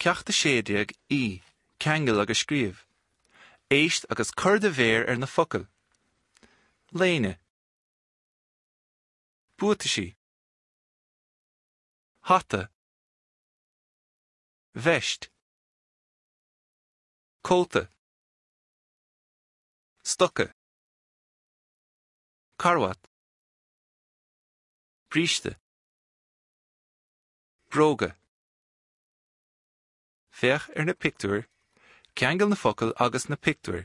Ceacht 16 E, Ceangail agus scríobh. Éist agus cuir do mhéar ar na focail. Léine. Buataisí. Hata. Veist. Cóta. Stoca. Carbhat. Bríste. Bróga. Féach ar na pictiúir, ceangail na focail agus na pictiúir.